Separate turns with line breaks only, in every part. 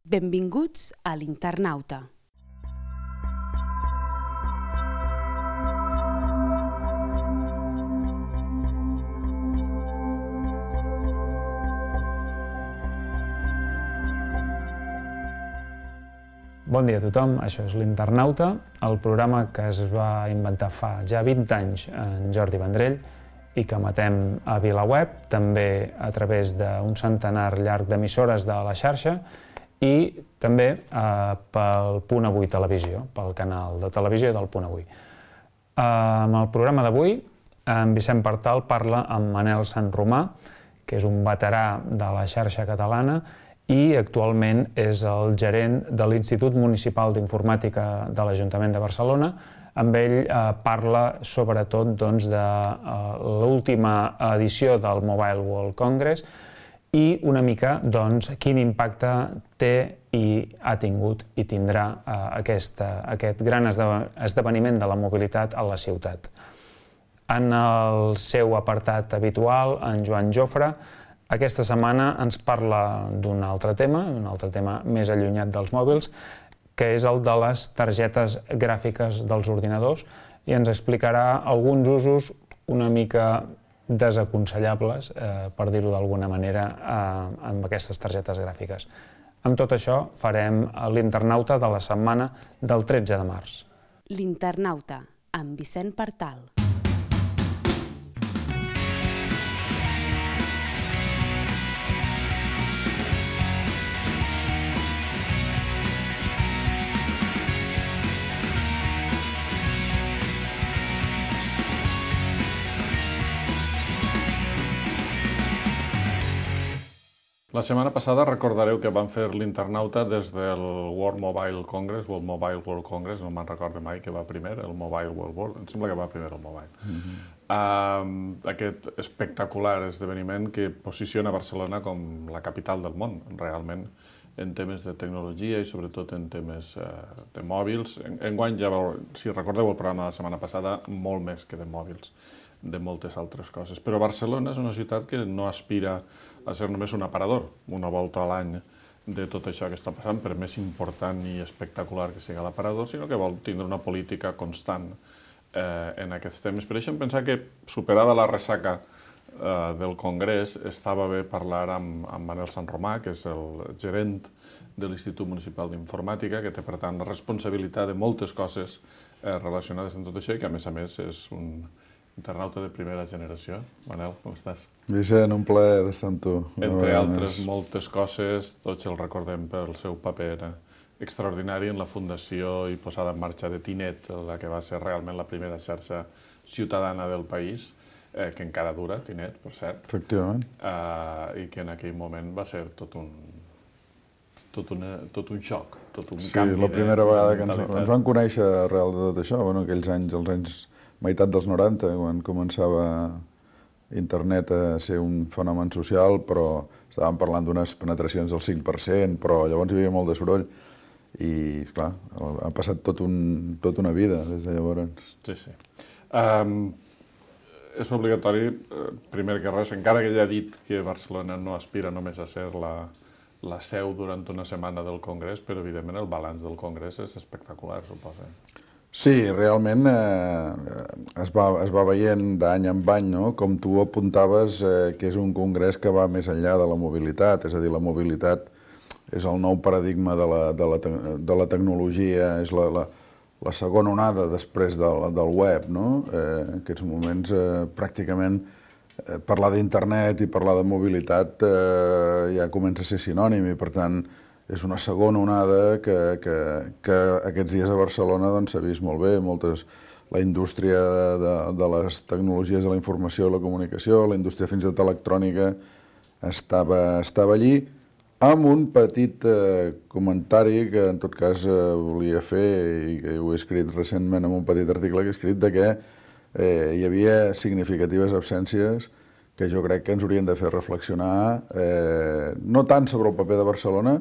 Benvinguts a l'Internauta.
Bon dia a tothom, això és l'Internauta, el programa que es va inventar fa ja 20 anys en Jordi Vendrell i que emetem a VilaWeb, també a través d'un centenar llarg d'emissores de la xarxa i també pel Punt Avui Televisió, pel canal de televisió del Punt Avui. En el programa d'avui, en Vicent Partal parla amb Manel Sanromà, que és un veterà de la xarxa catalana i actualment és el gerent de l'Institut Municipal d'Informàtica de l'Ajuntament de Barcelona. Amb ell parla sobretot de l'última edició del Mobile World Congress i una mica quin impacte té i ha tingut i tindrà aquest gran esdeveniment de la mobilitat a la ciutat. En el seu apartat habitual, en Joan Jofre, aquesta setmana ens parla d'un altre tema més allunyat dels mòbils, que és el de les targetes gràfiques dels ordinadors i ens explicarà alguns usos una mica desaconsellables, per dir-ho d'alguna manera, amb aquestes targetes gràfiques. Amb tot això farem l'Internauta de la setmana del 13 de març.
L'Internauta, amb Vicent Partal.
La setmana passada recordareu que vam fer l'Internauta des del World Mobile Congress, o el Mobile World Congress, no me'n recordo mai que va primer, el Mobile World, em sembla que va primer el Mobile. Aquest espectacular esdeveniment que posiciona Barcelona com la capital del món, realment, en temes de tecnologia i sobretot en temes de mòbils. Enguany, ja si recordeu el programa de la setmana passada, molt més que de mòbils, de moltes altres coses. Però Barcelona és una ciutat que no aspira a ser només un aparador, una volta a l'any de tot això que està passant, per més important i espectacular que sigui l'aparador, sinó que vol tindre una política constant en aquests temes. Per això em pensava que, superada la ressaca del Congrés, estava bé parlar amb Manel Sanromà, que és el gerent de l'Institut Municipal d'Informàtica, que té, per tant, la responsabilitat de moltes coses relacionades amb tot això i que, a més, és un internauta de primera generació. Manel, com estàs?
Vicent, un plaer d'estar amb tu.
Entre altres moltes coses, tots el recordem pel seu paper extraordinari en la fundació i posada en marxa de Tinet, la que va ser realment la primera xarxa ciutadana del país, que encara dura, Tinet, per cert.
Efectivament.
I que en aquell moment va ser tot un xoc, tot un canvi de mentalitat.
Sí, la primera vegada que ens vam conèixer arrel de tot això, aquells anys, els anys meitat dels 90, quan començava internet a ser un fenomen social, però estàvem parlant d'unes penetracions del 5%, però llavors hi havia molt de soroll i, clar, ha passat tota una vida des de llavors.
Sí, sí. És obligatori, primer que res, encara que ja he dit que Barcelona no aspira només a ser la seu durant una setmana del Congrés, però evidentment el balanç del Congrés és espectacular, suposo.
Sí, realment es va veient d'any en any, no? Com tu apuntaves, que és un congrés que va més enllà de la mobilitat, és a dir, la mobilitat és el nou paradigma de la tecnologia, és la segona onada després del web, no? En aquests moments, pràcticament, parlar d'internet i parlar de mobilitat ja comença a ser sinònim i, per tant, és una segona onada que aquests dies a Barcelona s'ha vist molt bé. La indústria de les tecnologies de la informació i la comunicació, la indústria fins i tot electrònica, estava allí, amb un petit comentari que en tot cas volia fer i que ho he escrit recentment en un petit article que he escrit, de que hi havia significatives absències que jo crec que ens haurien de fer reflexionar, no tant sobre el paper de Barcelona,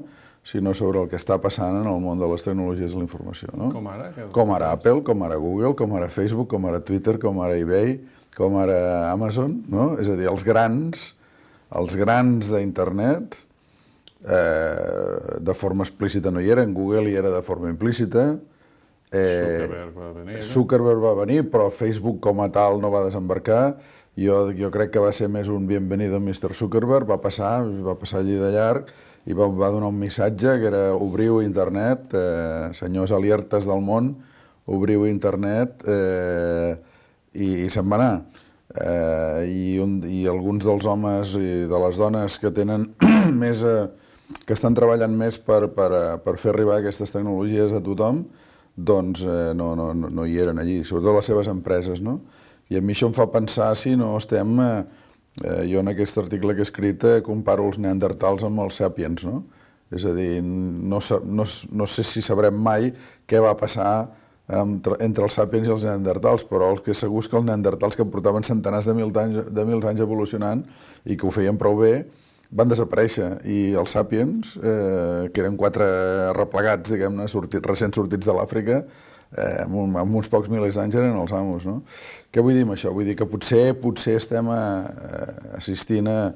sinó sobre el que està passant en el món de les tecnologies de la informació.
Com ara?
Com ara Apple, com ara Google, com ara Facebook, com ara Twitter, com ara eBay, com ara Amazon, no? És a dir, els grans d'internet de forma explícita no hi era, en Google hi era de forma implícita. Zuckerberg va venir, però Facebook com a tal no va desembarcar. Jo crec que va ser més un bienvenido Mr. Zuckerberg, va passar allí de llarg i va donar un missatge que era obriu internet, senyors alertes del món, obriu internet, i se'n va anar. I alguns dels homes i de les dones que tenen més, que estan treballant més per fer arribar aquestes tecnologies a tothom, doncs no hi eren allí, sobretot les seves empreses, no? I a mi això em fa pensar si no estem... Jo en aquest article que he escrit comparo els neandertals amb els sàpiens, no? És a dir, no sé si sabrem mai què va passar entre els sàpiens i els neandertals, però el que és segur és que els neandertals, que portaven centenars de mils anys evolucionant i que ho feien prou bé, van desaparèixer, i els sàpiens, que eren 4 arreplegats, diguem-ne, recent sortits de l'Àfrica, amb uns pocs milers d'anys eren els amos, no? Què vull dir amb això? Vull dir que potser estem assistint a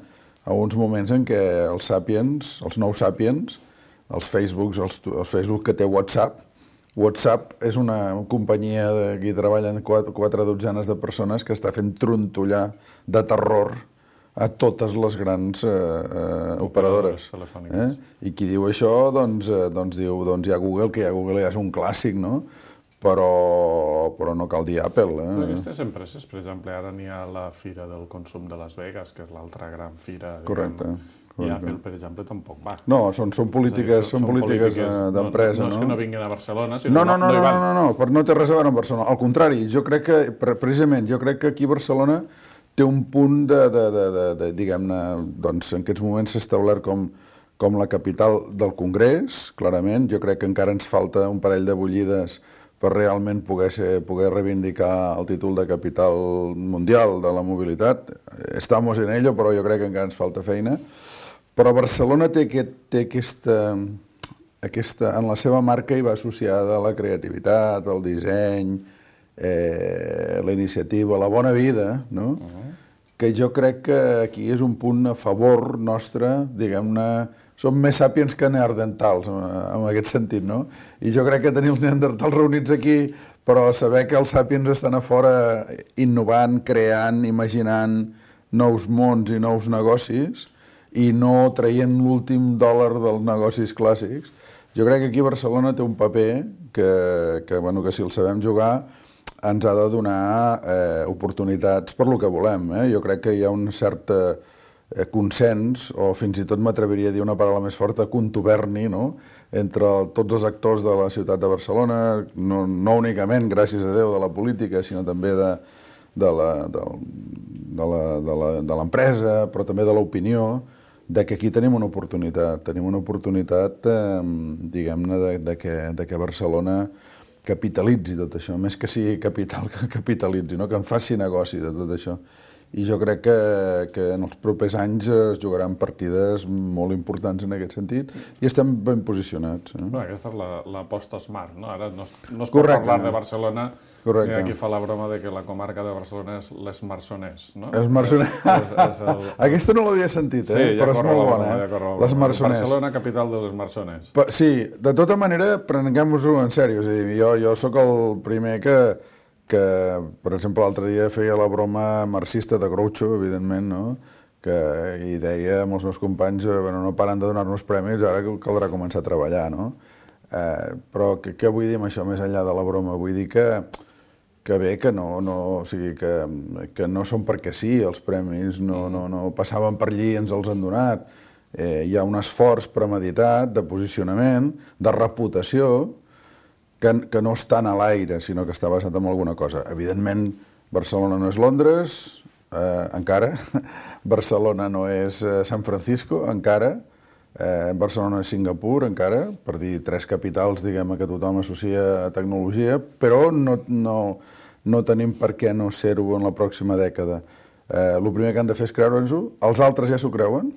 uns moments en què els sàpiens, els nous sàpiens, els Facebook que té WhatsApp és una companyia que hi treballen 4 dotzenes de persones que està fent trontollar de terror a totes les grans operadores. I qui diu això, doncs diu, hi ha Google, que Google ja és un clàssic, no? Però no cal dir Apple.
Aquestes empreses, per exemple, ara n'hi ha la Fira del Consum de Las Vegas, que és l'altra gran fira.
Correcte.
I Apple, per exemple, tampoc va.
No, són polítiques d'empresa.
No és que no vinguin a Barcelona, sinó
no hi van. No té res a veure amb Barcelona. Al contrari, jo crec que, precisament, aquí a Barcelona té un punt diguem-ne, doncs en aquests moments s'ha establert com la capital del Congrés, clarament. Jo crec que encara ens falta un parell de bullides per realment poder reivindicar el títol de capital mundial de la mobilitat. Estamos en ello, però jo crec que encara ens falta feina. Però Barcelona té aquesta... En la seva marca hi va associada la creativitat, el disseny, la iniciativa, la bona vida, no? Que jo crec que aquí és un punt a favor nostre, diguem-ne. Som més sàpiens que neandertals, en aquest sentit, no? I jo crec que tenir els neandertals reunits aquí, però saber que els sàpiens estan a fora innovant, creant, imaginant nous mons i nous negocis i no traient l'últim dòlar dels negocis clàssics, jo crec que aquí Barcelona té un paper que si el sabem jugar ens ha de donar oportunitats per lo que volem. Jo crec que hi ha un cert consens, o fins i tot m'atreviria a dir una paraula més forta, contuberni, no? Entre tots els actors de la ciutat de Barcelona, no únicament, gràcies a Déu, de la política, sinó també de l'empresa, però també de l'opinió, que aquí tenim una oportunitat. Tenim una oportunitat, diguem-ne, de que Barcelona capitalitzi tot això, més que sigui capital, que capitalitzi, no? Que en faci negoci de tot això. I jo crec que en els propers anys es jugaran partides molt importants en aquest sentit i estem ben posicionats.
Aquesta és l'aposta smart, no? Ara no es pot parlar de Barcelona, i aquí fa la broma de que la comarca de Barcelona és l'Esmarsonès, no?
Esmarsonès. Aquesta no l'havia sentit, però és molt bona. L'Esmarsonès.
Barcelona, capital de l'Esmarsonès.
Sí, de tota manera, prenguem-ho en sèrio. És a dir, jo sóc el primer que, per exemple, l'altre dia feia la broma marxista de Groucho, evidentment, no? I deia amb els meus companys, no paren de donar-nos premis, ara caldrà començar a treballar, no? Però què vull dir amb això, més enllà de la broma? Vull dir que bé, que no són perquè sí, els premis, no passaven per allí i ens els han donat. Hi ha un esforç premeditat de posicionament, de reputació, que no està a l'aire, sinó que està basat en alguna cosa. Evidentment, Barcelona no és Londres, encara. Barcelona no és San Francisco, encara. Barcelona no és Singapur, encara, per dir 3 capitals, diguem, que tothom associa a tecnologia, però no tenim per què no ser-ho en la pròxima dècada. El primer que han de fer és creure'ns-ho, els altres ja s'ho creuen.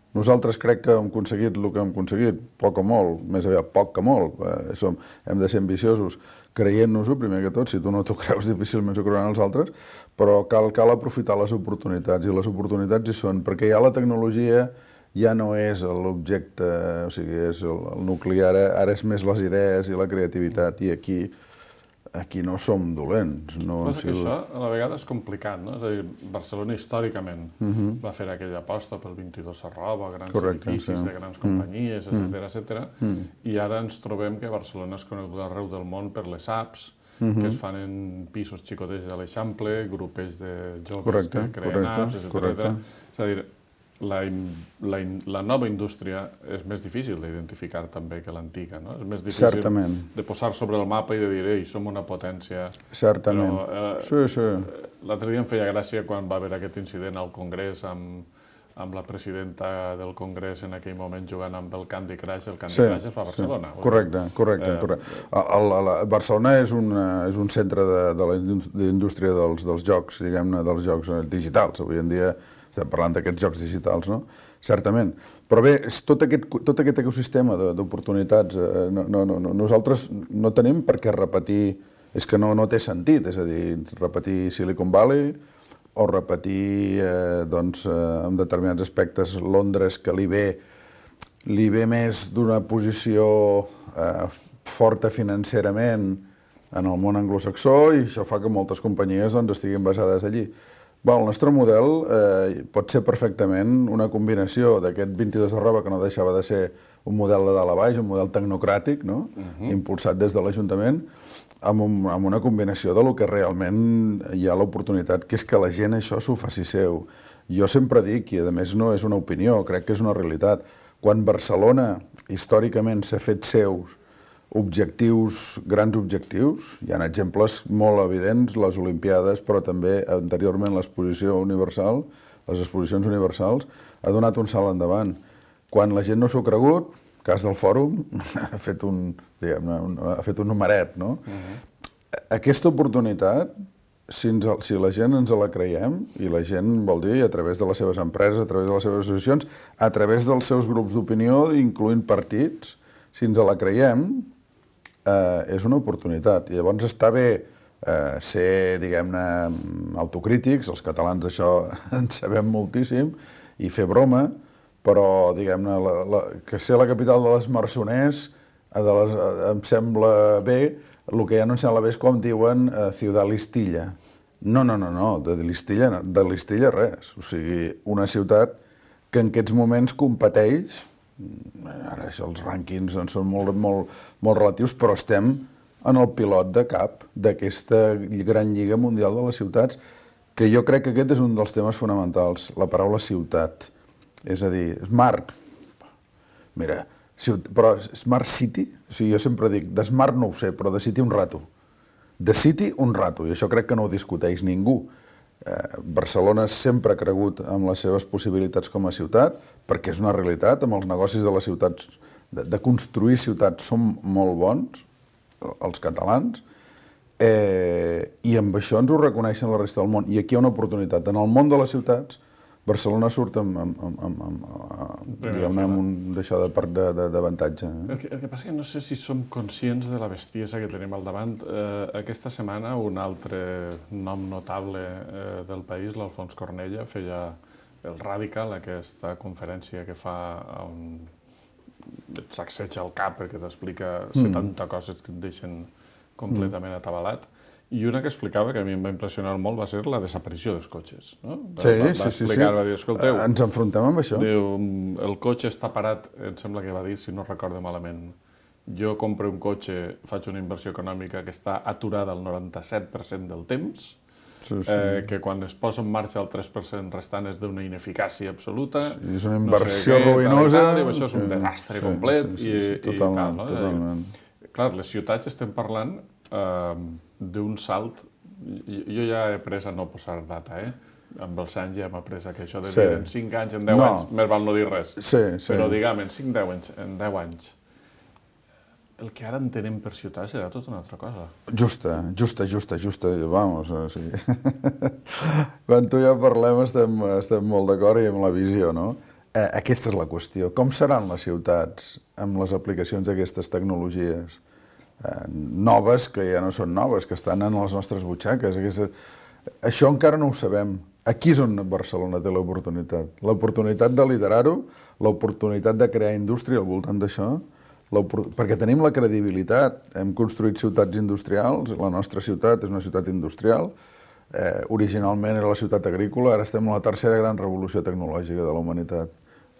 Nosaltres crec que hem aconseguit el que hem aconseguit, poc o molt, més aviat poc que molt, hem de ser ambiciosos, creient-nos-ho, primer que tot, si tu no t'ho creus difícilment s'ho creuran els altres, però cal aprofitar les oportunitats, i les oportunitats hi són, perquè hi ha la tecnologia, ja no és l'objecte, o sigui, és el nucli, ara és més les idees i la creativitat, i aquí no som dolents.
Passa que això a la vegada és complicat, no? És a dir, Barcelona històricament va fer aquella aposta pel 22 Arroba, grans edificis de grans companyies, etcètera, i ara ens trobem que Barcelona és coneguda arreu del món per les apps, que es fan en pisos xicotets de l'Eixample, grupets de joves que creen apps, etcètera. És a dir, la nova indústria és més difícil d'identificar també que l'antiga, no? És més difícil de posar sobre el mapa i de dir, ei, som una potència.
Certament. Sí.
L'altre dia em feia gràcia quan va haver aquest incident al Congrés amb la presidenta del Congrés en aquell moment jugant amb el Candy Crush. El Candy Crush es fa a Barcelona.
Correcte. Barcelona és un centre de la indústria dels jocs, diguem-ne, dels jocs digitals. Avui en dia estem parlant d'aquests jocs digitals, no? Certament. Però bé, tot aquest ecosistema d'oportunitats, nosaltres no tenim per què repetir, és que no té sentit, és a dir, repetir Silicon Valley o repetir, en determinats aspectes, Londres, que li ve més d'una posició forta financerament en el món anglosaxó, i això fa que moltes companyies estiguin basades allí. El nostre model pot ser perfectament una combinació d'aquest 22 Arroba, que no deixava de ser un model de dalt a baix, un model tecnocràtic, impulsat des de l'Ajuntament, amb una combinació de lo que realment hi ha l'oportunitat, que és que la gent això s'ho faci seu. Jo sempre dic, i a més no és una opinió, crec que és una realitat, quan Barcelona històricament s'ha fet seus grans objectius, hi ha exemples molt evidents, les Olimpiades, però també anteriorment l'exposició universal, les exposicions universals, ha donat un salt endavant. Quan la gent no s'ho ha cregut, cas del fòrum, ha fet un numeret, no? Aquesta oportunitat, si la gent ens la creiem, i la gent vol dir a través de les seves empreses, a través de les seves associacions, a través dels seus grups d'opinió, incloent partits, si ens la creiem, és una oportunitat. I llavors està bé ser, diguem-ne, autocrítics, els catalans d'això en sabem moltíssim, i fer broma, però, diguem-ne, que ser la capital de les Marsoners em sembla bé. El que ja no em sembla bé és com diuen Ciudad Listilla. No, de Listilla res. O sigui, una ciutat que en aquests moments competeix. Ara això, els rànquings són molt relatius, però estem en el pilot de cap d'aquesta gran lliga mundial de les ciutats, que jo crec que aquest és un dels temes fonamentals, la paraula ciutat. És a dir, smart. Mira, però smart city, o sigui, jo sempre dic, de smart no ho sé, però de city un rato. De city un rato, i això crec que no ho discuteix ningú. Barcelona sempre ha cregut en les seves possibilitats com a ciutat, perquè és una realitat, amb els negocis de les ciutats, de construir ciutats són molt bons, els catalans, i amb això ens ho reconeixen la resta del món. I aquí hi ha una oportunitat. En el món de les ciutats, Barcelona surt amb un d'això d'avantatge.
El que passa és que no sé si som conscients de la bestiesa que tenim al davant. Aquesta setmana un altre nom notable del país, l'Alfons Cornella, feia el Radical, aquesta conferència que fa on et sacseja el cap perquè t'explica 70 coses que et deixen completament atabalat. I una que explicava, que a mi em va impressionar molt, va ser la desaparició dels cotxes.
Sí.
Va dir, escolteu,
ens enfrontem amb això.
Diu, el cotxe està parat, em sembla que va dir, si no recordo malament. Jo compro un cotxe, faig una inversió econòmica que està aturada al 97% del temps, que quan es posa en marxa el 3% restant és d'una ineficàcia absoluta.
És una inversió ruïnosa.
Això és un desastre complet.
Totalment.
Clar, les ciutats estem parlant d'un salt. Jo ja he après a no posar data, amb els anys ja hem après que això de dir en 5 anys, en 10 anys, més val no dir res. Però diguem, en 10 anys, el que ara entenem per ciutat serà tota una altra cosa.
Justa, vamos. Quan tu i jo parlem estem molt d'acord i amb la visió, no? Aquesta és la qüestió. Com seran les ciutats amb les aplicacions d'aquestes tecnologies noves, que ja no són noves, que estan en les nostres butxaques? Això encara no ho sabem. Aquí és on Barcelona té l'oportunitat. L'oportunitat de liderar-ho, l'oportunitat de crear indústria al voltant d'això, perquè tenim la credibilitat, hem construït ciutats industrials, la nostra ciutat és una ciutat industrial, originalment era la ciutat agrícola, ara estem en la tercera gran revolució tecnològica de la humanitat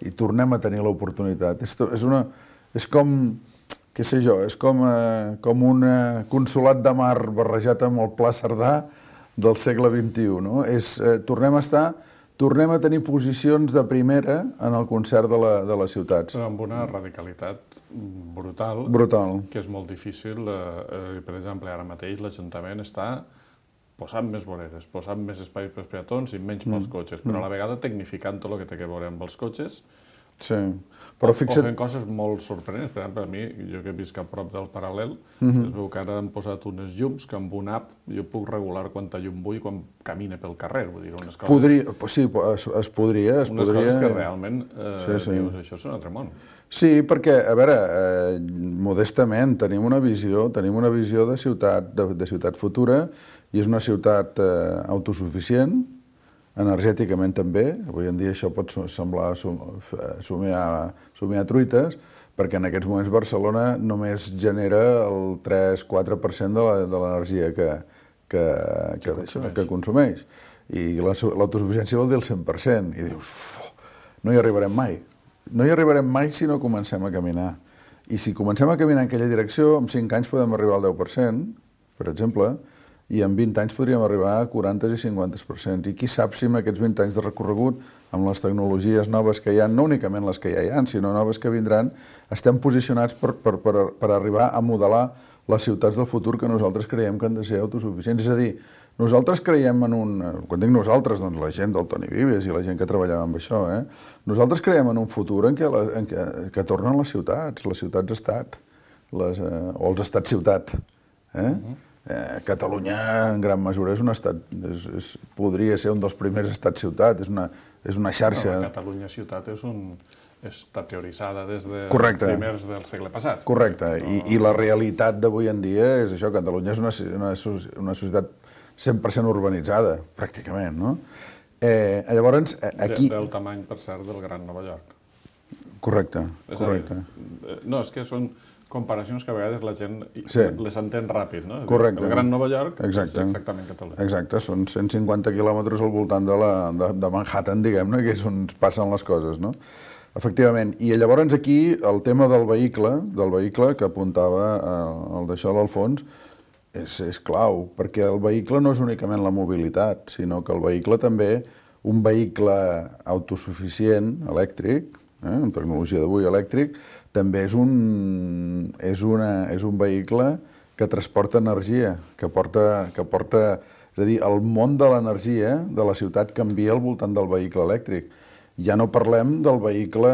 i tornem a tenir l'oportunitat. És com, què sé jo, és com un consolat de mar barrejat amb el Pla Cerdà del segle XXI, no? Tornem a tenir posicions de primera en el concert de les ciutats.
Amb una radicalitat brutal, que és molt difícil. Per exemple, ara mateix l'Ajuntament està posant més voreres, posant més espais pels peatons i menys pels cotxes, però a la vegada tecnificant tot el que té a veure amb els cotxes.
Sí, però
o fent coses molt sorprenents. Per exemple, a mi, jo que visc a prop del Paral·lel, es veu que ara han posat unes llums que amb una app jo puc regular quanta llum vull quan camine pel carrer. Vull dir, unes coses...
Sí, es podria.
Unes coses que realment dius, això és un altre món.
Sí, perquè, a veure, modestament tenim una visió de ciutat futura i és una ciutat autosuficient, energèticament també. Avui en dia això pot semblar somiar truites, perquè en aquests moments Barcelona només genera el 3-4% de l'energia que consumeix. I l'autosuficiència vol dir el 100%. I dius, no hi arribarem mai. No hi arribarem mai si no comencem a caminar. I si comencem a caminar en aquella direcció, en 5 anys podem arribar al 10%, per exemple, i en 20 anys podríem arribar a 40 i 50%. I qui sap si amb aquests 20 anys de recorregut, amb les tecnologies noves que hi ha, no únicament les que ja hi ha, sinó noves que vindran, estem posicionats per arribar a modelar les ciutats del futur que nosaltres creiem que han de ser autosuficients. És a dir, nosaltres creiem en un... Quan dic nosaltres, doncs la gent del Toni Vives i la gent que treballava amb això, nosaltres creiem en un futur en què tornen les ciutats-estat, o els estats-ciutat. Catalunya, en gran mesura, és un estat, podria ser un dels primers estats-ciutat, és una xarxa...
La Catalunya-ciutat està teoritzada des de primers del segle passat.
Correcte, i la realitat d'avui en dia és això, Catalunya és una societat 100% urbanitzada, pràcticament, no? Llavors, aquí...
Del tamany, per cert, del Gran Nova York.
Correcte.
No, és que són comparacions que a vegades la gent les entén ràpid, no?
Correcte.
El Gran Nova York és exactament Catalunya.
Exacte, són 150 quilòmetres al voltant de Manhattan, diguem-ne, que és on passen les coses, no? Efectivament. I llavors aquí el tema del vehicle que apuntava el d'això a l'Alfons, és clau, perquè el vehicle no és únicament la mobilitat, sinó que el vehicle també, un vehicle autosuficient, elèctric, amb tecnologia d'avui elèctric, també és un vehicle que transporta energia, que porta... És a dir, el món de l'energia de la ciutat canvia al voltant del vehicle elèctric. Ja no parlem del vehicle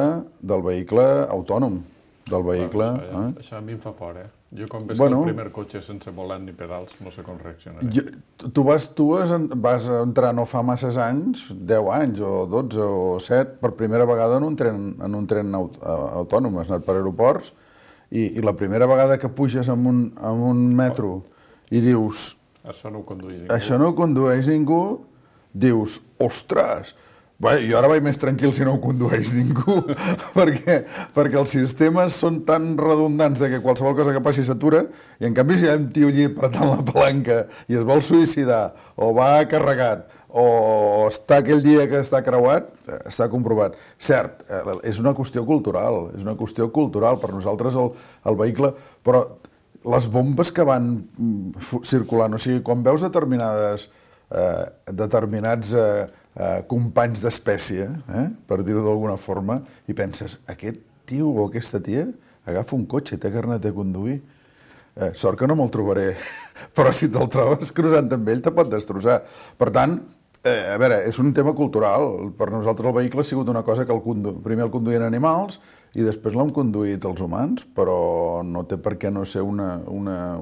autònom, del vehicle...
Això a mi em fa por, Jo quan veig el primer cotxe sense volant ni pedals, no sé com reaccionaré.
Tu vas entrar no fa masses anys, 10 anys o 12 o 7, per primera vegada en un tren autònom. Has anat per aeroports i la primera vegada que puges en un metro i dius...
Això no ho condueix ningú.
Això no ho condueix ningú, dius, ostres... Jo ara vaig més tranquil si no ho condueix ningú, perquè els sistemes són tan redundants que qualsevol cosa que passi s'atura, i en canvi si hi ha un tio allí apretant la palanca i es vol suïcidar, o va carregat, o està aquell dia que està creuat, està comprovat. Cert, és una qüestió cultural, per nosaltres el vehicle, però les bombes que van circulant, o sigui, quan veus determinats companys d'espècie, per dir-ho d'alguna forma, i penses, aquest tio o aquesta tia agafa un cotxe, té carnet de conduir. Sort que no me'l trobaré, però si te'l trobes cruzant amb ell te pot destrossar. Per tant, a veure, és un tema cultural. Per nosaltres el vehicle ha sigut una cosa que primer el conduïen animals i després l'hem conduït els humans, però no té per què no ser un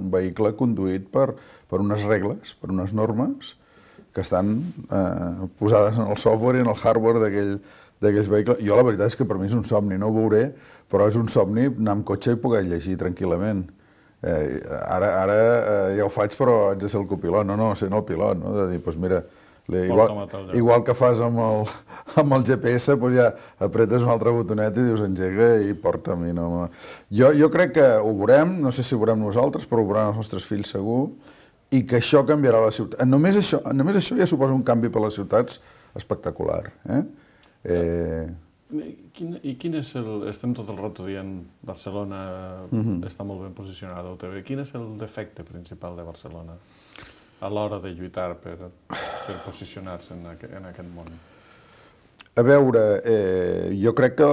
vehicle conduït per unes regles, per unes normes, que estan posades en el software i en el hardware d'aquells vehicles. Jo la veritat és que per mi és un somni, no ho veuré, però és un somni anar amb cotxe i poder llegir tranquil·lament. Ara ja ho faig, però haig de ser el copilot, no ser el pilot, no? De dir, doncs mira, Igual que fas amb el GPS, doncs ja apretes un altre botonet i dius engega i porta'm. Jo crec que ho veurem, no sé si ho veurem nosaltres, però ho veuran els nostres fills segur, i que això canviarà la ciutat. Només això ja suposa un canvi per les ciutats espectacular.
I quin és estem tot el rato dient Barcelona està molt ben posicionada a UTV. Quin és el defecte principal de Barcelona a l'hora de lluitar per posicionar-se en aquest món?
A veure, jo crec que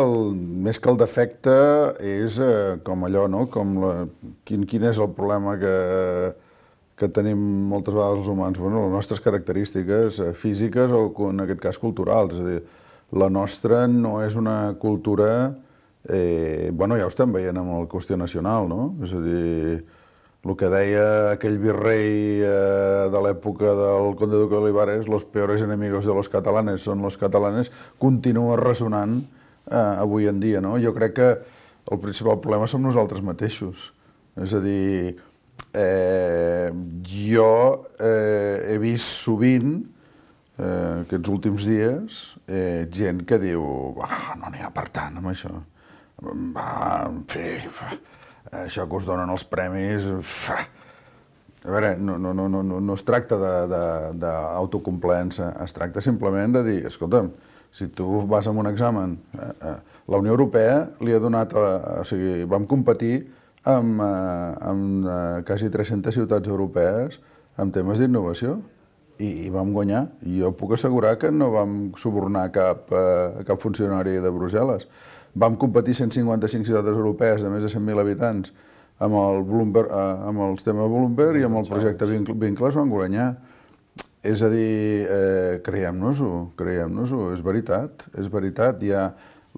més que el defecte és com allò, no? Quin és el problema que tenim moltes vegades els humans? Bueno, les nostres característiques físiques o, en aquest cas, culturals. És a dir, la nostra no és una cultura... Bueno, ja ho estem veient amb la qüestió nacional, no? És a dir, el que deia aquell virrei de l'època del conde duque de Olivares, los peores enemigos de los catalanes son los catalanes, continua ressonant avui en dia, no? Jo crec que el principal problema som nosaltres mateixos. És a dir, jo he vist sovint, aquests últims dies, gent que diu no n'hi ha per tant amb això. En fi, això que us donen els premis... A veure, no es tracta d'autocomplaença, es tracta simplement de dir, escolta'm, si tu vas a un examen, la Unió Europea li ha donat... O sigui, vam competir amb quasi 300 ciutats europees en temes d'innovació i vam guanyar. I jo puc assegurar que no vam subornar cap funcionari de Brussel·les. Vam competir 155 ciutats europees de més de 100.000 habitants amb el sistema Bloomberg i amb el projecte Vincles van guanyar. És a dir, creiem-nos-ho, és veritat. Hi ha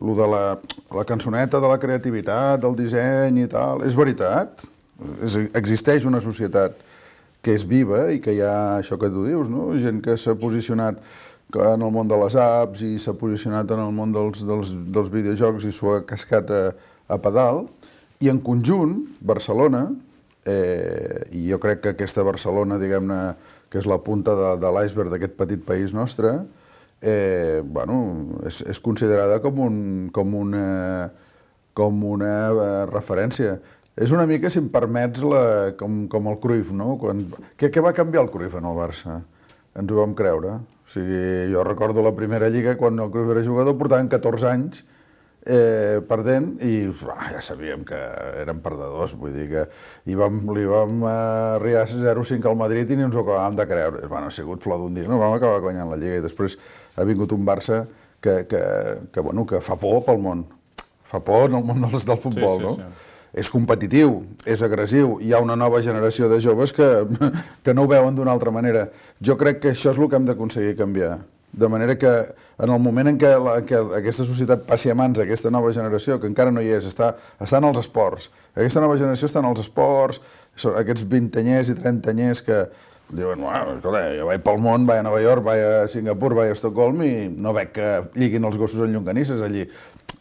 el de la cançoneta de la creativitat, del disseny i tal, és veritat. Existeix una societat que és viva i que hi ha això que tu dius, no? Gent que s'ha posicionat en el món de les apps i s'ha posicionat en el món dels videojocs i s'ho ha cascat a pedal. I en conjunt, Barcelona, i jo crec que aquesta Barcelona, diguem-ne, que és la punta de l'iceberg d'aquest petit país nostre, és considerada com una referència. És una mica, si em permets, com el Cruyff, no? Què va canviar el Cruyff en el Barça? Ens ho vam creure. O sigui, jo recordo la primera lliga, quan el Cruyff era jugador, portaven 14 anys perdent i ja sabíem que eren perdedors, vull dir que li vam arribar 0-5 al Madrid i ni ens ho acabàvem de creure. Ha sigut flor d'un dia, no? Vam acabar guanyant la Lliga i després ha vingut un Barça que fa por pel món, fa por en el món del futbol, no? És competitiu, és agressiu, hi ha una nova generació de joves que no ho veuen d'una altra manera. Jo crec que això és el que hem d'aconseguir canviar. De manera que en el moment en què aquesta societat passi a mans d'aquesta nova generació, que encara no hi és, està en els esports. Aquesta nova generació està en els esports, aquests 20anyers i 30anyers que diuen, escolta, jo vaig pel món, vaig a Nova York, vaig a Singapur, vaig a Estocolm i no veig que lliguin els gossos en llonganisses allí.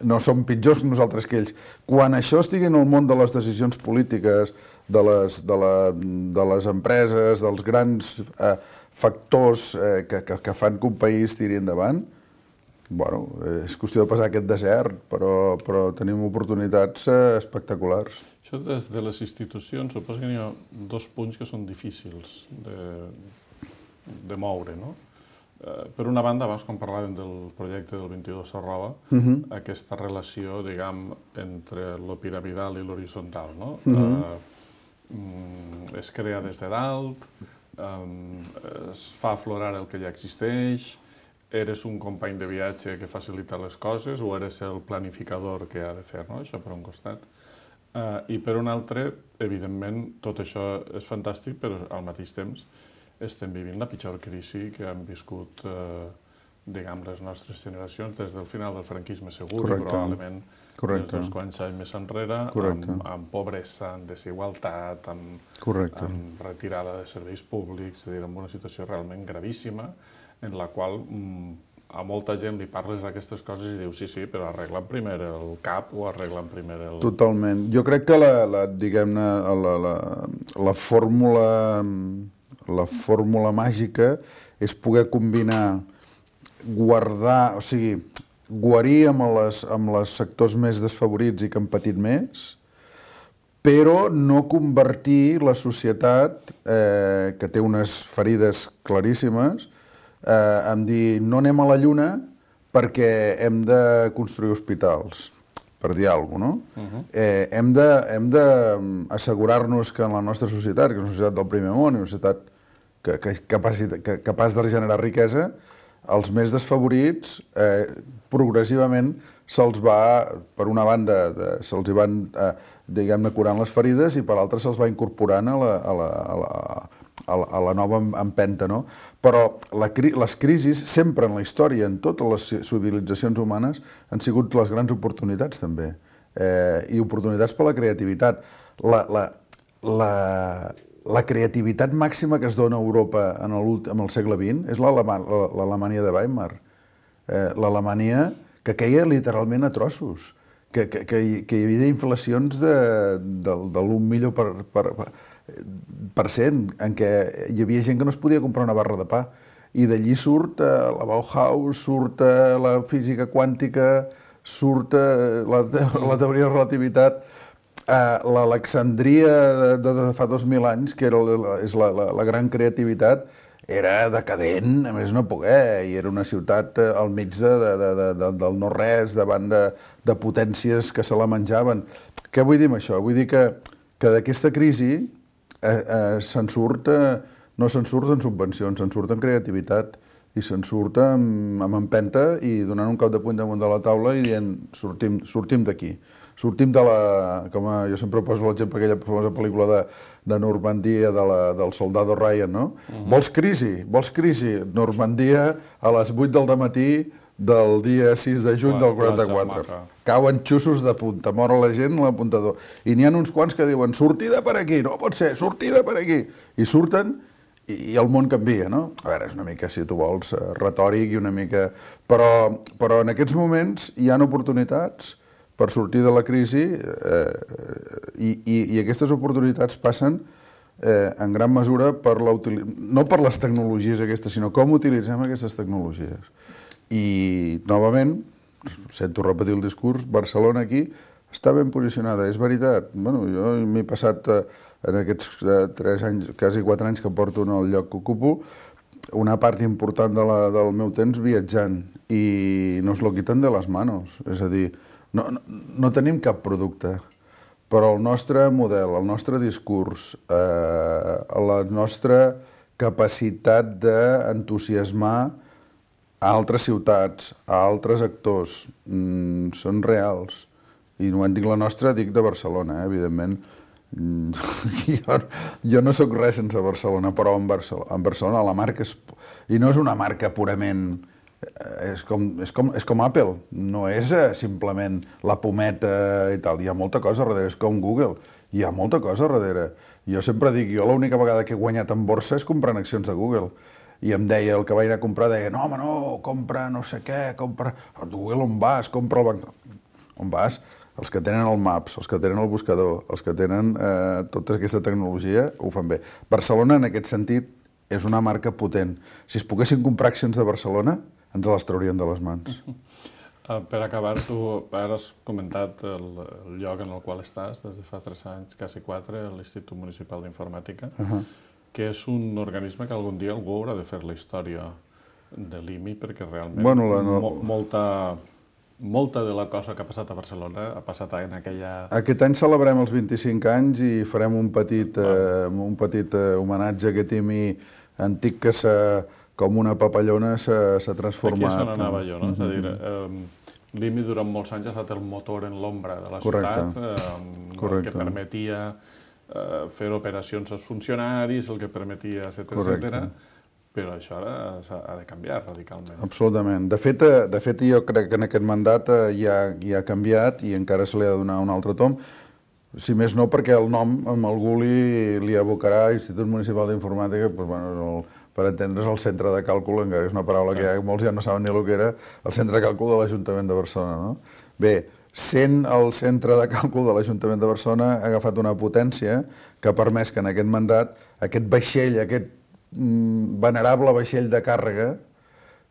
No som pitjors nosaltres que ells. Quan això estigui en el món de les decisions polítiques, de les empreses, dels grans factors que fan que un país tiri endavant, és qüestió de passar aquest desert, però tenim oportunitats espectaculars.
Això des de les institucions, suposo que hi ha dos punts que són difícils de moure, no? Per una banda, abans quan parlàvem del projecte del 22 Arroba, aquesta relació, diguem, entre lo piramidal i l'horitzontal, no? Es crea des de dalt, es fa aflorar el que ja existeix, eres un company de viatge que facilita les coses o eres el planificador que ha de fer, no? Això per un costat. I per un altre, evidentment, tot això és fantàstic, però al mateix temps estem vivint la pitjor crisi que han viscut, diguem, les nostres generacions des del final del franquisme segur, i probablement des dels quants anys més enrere, amb pobresa, amb desigualtat, amb retirada de serveis públics, és a dir, amb una situació realment gravíssima, en la qual a molta gent li parles d'aquestes coses i diu sí, però arreglen primer el CAP o arreglen primer el...
Totalment. Jo crec que, diguem-ne, la fórmula la fórmula màgica és poder combinar, guardar, o sigui, guarir amb els sectors més desfavorits i que han patit més, però no convertir la societat, que té unes ferides claríssimes, en dir no anem a la Lluna perquè hem de construir hospitals, per dir alguna cosa, no? Hem d'assegurar-nos que en la nostra societat, que és una societat del primer món, una societat capaç de generar riquesa, els més desfavorits progressivament se'ls va, per una banda, se'ls van, diguem-ne, curant les ferides i per l'altra se'ls va incorporant a la nova empenta, no? Però les crisis, sempre en la història, en totes les civilitzacions humanes, han sigut les grans oportunitats, també. I oportunitats per la creativitat. La creativitat màxima que es dona a Europa en el segle XX és l'Alemanya de Weimar. L'Alemanya que queia literalment a trossos, que hi havia inflacions de l'1% en què hi havia gent que no es podia comprar una barra de pa. I d'allí surt la Bauhaus, surt la física quàntica, surt la teoria de la relativitat, l'Alexandria de fa 2.000 anys, que és la gran creativitat, era decadent, a més no poder, i era una ciutat al mig del no-res, davant de potències que se la menjaven. Què vull dir amb això? Vull dir que d'aquesta crisi no se'n surt en subvencions, se'n surt en creativitat, i se'n surt amb empenta i donant un cop de puny damunt de la taula i dient sortim d'aquí. Sortim de com jo sempre poso l'exemple d'aquella famosa pel·lícula de Normandia del Soldado Ryan, no? Vols crisi? Normandia a les 8 del dematí del dia 6 de juny del 44. Cauen xussos de punta, mor la gent a l'apuntador. I n'hi ha uns quants que diuen sortida per aquí, no pot ser, sortida per aquí. I surten i el món canvia, no? A veure, és una mica, si tu vols, retòric i una mica... Però en aquests moments hi ha oportunitats per sortir de la crisi i aquestes oportunitats passen en gran mesura no per les tecnologies aquestes, sinó com utilitzem aquestes tecnologies. I, novament, sento repetir el discurs, Barcelona aquí està ben posicionada, és veritat. Bueno, jo m'he passat en aquests 3 anys, quasi 4 anys que porto en el lloc que ocupo, una part important del meu temps viatjant i nos lo quitan de les manos. És a dir, no tenim cap producte, però el nostre model, el nostre discurs, la nostra capacitat d'entusiasmar a altres ciutats, a altres actors, són reals. I no en dic la nostra, dic de Barcelona, evidentment. Jo no sóc res sense Barcelona, però en Barcelona la marca és... I no és una marca purament... És com Apple, no és simplement la pometa i tal. Hi ha molta cosa darrere, és com Google. Hi ha molta cosa darrere. Jo sempre dic, jo l'única vegada que he guanyat en borsa és comprant accions de Google. I em deia, el que vaig anar a comprar, deia, no, home, no, compra no sé què, compra... A Google on vas? Compra el banc... On vas? Els que tenen el Maps, els que tenen el buscador, els que tenen tota aquesta tecnologia, ho fan bé. Barcelona, en aquest sentit, és una marca potent. Si es poguessin comprar accions de Barcelona, ens les traurien de les mans.
Per acabar, tu ara has comentat el lloc en el qual estàs des de fa 3 anys, quasi 4, l'Institut Municipal d'Informàtica, que és un organisme que algun dia algú haurà de fer la història de l'IMI, perquè realment molta de la cosa que ha passat a Barcelona ha passat en aquella...
Aquest any celebrem els 25 anys i farem un petit homenatge a aquest IMI antic que com una papallona s'ha transformat.
Aquí és on anava jo, no? És a dir, l'IMI durant molts anys ha estat el motor en l'ombra de la ciutat, el que permetia fer operacions als funcionaris, el que permetia, etcètera. Però això ara ha de canviar radicalment.
Absolutament. De fet, jo crec que en aquest mandat ja ha canviat i encara se li ha de donar un altre tom. Si més no, perquè el nom amb algú li abocarà Institut Municipal d'Informàtica, per entendre's, el centre de càlcul, encara és una paraula que molts ja no saben ni el que era, el centre de càlcul de l'Ajuntament de Barcelona. Bé, sent el centre de càlcul de l'Ajuntament de Barcelona, ha agafat una potència que ha permès que en aquest mandat, aquest vaixell, aquest venerable vaixell de càrrega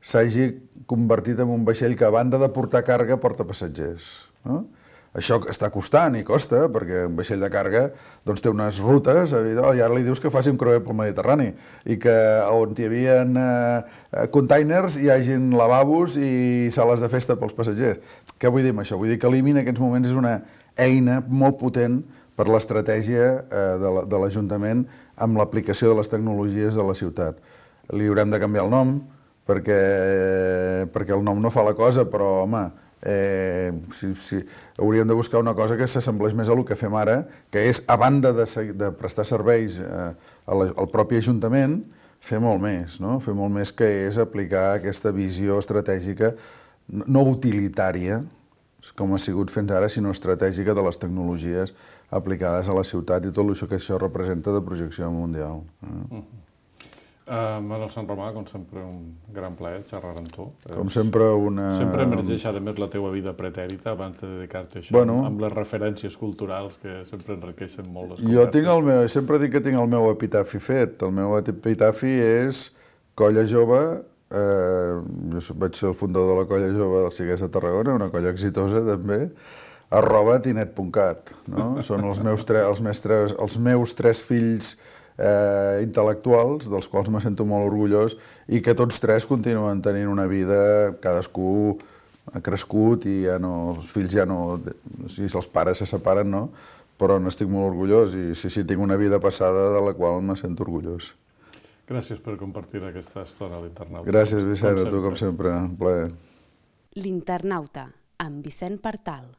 s'hagi convertit en un vaixell que, a banda de portar càrrega, porta passatgers. No? Això està costant i costa, perquè un vaixell de càrrega té unes rutes, i ara li dius que faci un creuer pel Mediterrani, i que on hi havia containers hi hagin lavabos i sales de festa pels passatgers. Què vull dir amb això? Vull dir que l'IMI en aquests moments és una eina molt potent per l'estratègia de l'Ajuntament amb l'aplicació de les tecnologies de la ciutat. Li haurem de canviar el nom, perquè el nom no fa la cosa, però, home, hauríem de buscar una cosa que s'assemblés més a el que fem ara, que és, a banda de prestar serveis al propi Ajuntament, fer molt més, no? Fer molt més, que és aplicar aquesta visió estratègica, no utilitària, com ha sigut fins ara, sinó estratègica de les tecnologies aplicades a la ciutat i tot això que això representa de projecció mundial.
Manuel Sant Romà, com sempre, un gran plaer xerrar amb tu.
Com sempre,
Sempre emergeix, a més, la teua vida pretèrita abans de dedicar-te a això, amb les referències culturals que sempre enriqueixen molt les converses.
Jo sempre dic que tinc el meu epitafi fet. El meu epitafi és Colla Jove. Jo vaig ser el fundador de la Colla Jove del Ciguers de Tarragona, una colla exitosa també, @tinet.cat. Són els meus tres fills intel·lectuals, dels quals me sento molt orgullós, i que tots tres continuen tenint una vida, cadascú ha crescut i els fills ja no... Si els pares se separen, no? Però n'estic molt orgullós i sí, tinc una vida passada de la qual me sento orgullós.
Gràcies per compartir aquesta estona a l'Internauta.
Gràcies, Vicent, a tu com sempre. Un plaer.
L'Internauta, amb Vicent Partal.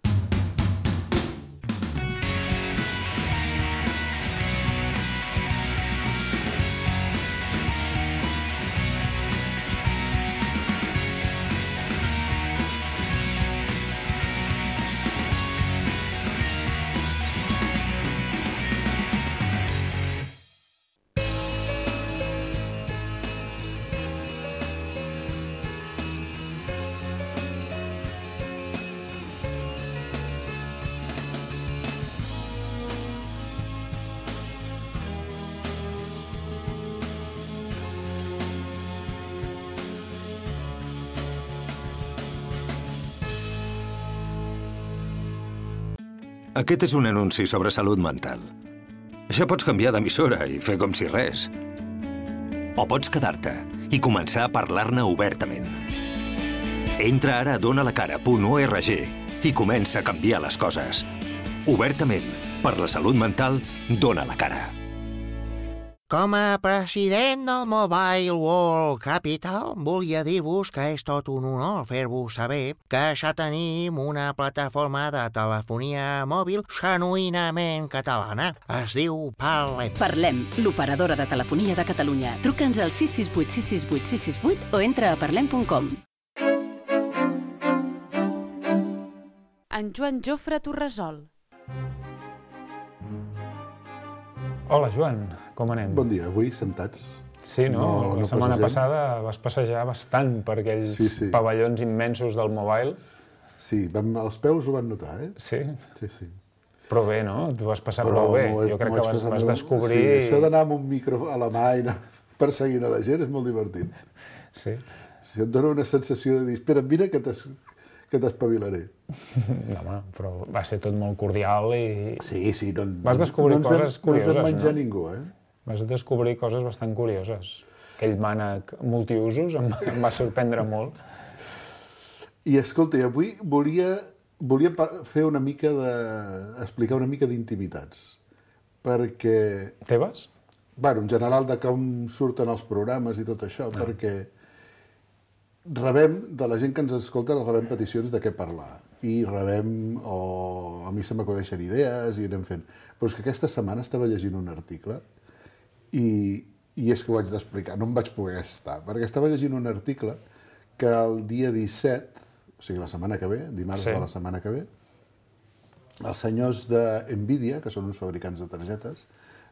Aquest és un anunci sobre salut mental. Ja pots canviar d'emissora i fer com si res. O pots quedar-te i començar a parlar-ne obertament. Entra ara a donalacara.org i comença a canviar les coses. Obertament, per la salut mental, dona la cara.
Com a president del Mobile World Capital, volia dir-vos que és tot un honor fer-vos saber que ja tenim una plataforma de telefonia mòbil genuïnament catalana. Es diu Parlem.
Parlem, l'operadora de telefonia de Catalunya. Truca'ns al 668 668 668 o entra a parlem.com.
En Joan Jofre Torresol.
Hola, Joan, com anem?
Bon dia, avui sentats.
Sí, no? La setmana passada vas passejar bastant per aquells pavellons immensos del Mobile.
Sí, els peus ho van notar, eh?
Sí?
Sí.
Però bé, no? Tu vas passar prou bé. Jo crec que vas descobrir...
Sí, això d'anar amb un micro a la mà i anar perseguint a la gent és molt divertit.
Sí.
Si et dona una sensació de dir, espera, mira que t'espavilaré.
No, home, però va ser tot molt cordial i...
Sí,
vas descobrir coses curioses,
no ens vam menjar ningú, eh?
Vas descobrir coses bastant curioses. Aquell mànec multiusos em va sorprendre molt.
I escolta, avui volia fer una mica explicar una mica d'intimitats. Perquè...
Teves?
Bueno, en general, de com surten els programes i tot això, perquè rebem, de la gent que ens escolta, rebem peticions de què parlar. I rebem, o a mi se m'acudeixen idees i anem fent. Però és que aquesta setmana estava llegint un article i és que ho haig d'explicar, no em vaig poder estar, perquè estava llegint un article que el dia 17, o sigui la setmana que ve, dimarts de la setmana que ve, els senyors de NVIDIA, que són uns fabricants de targetes,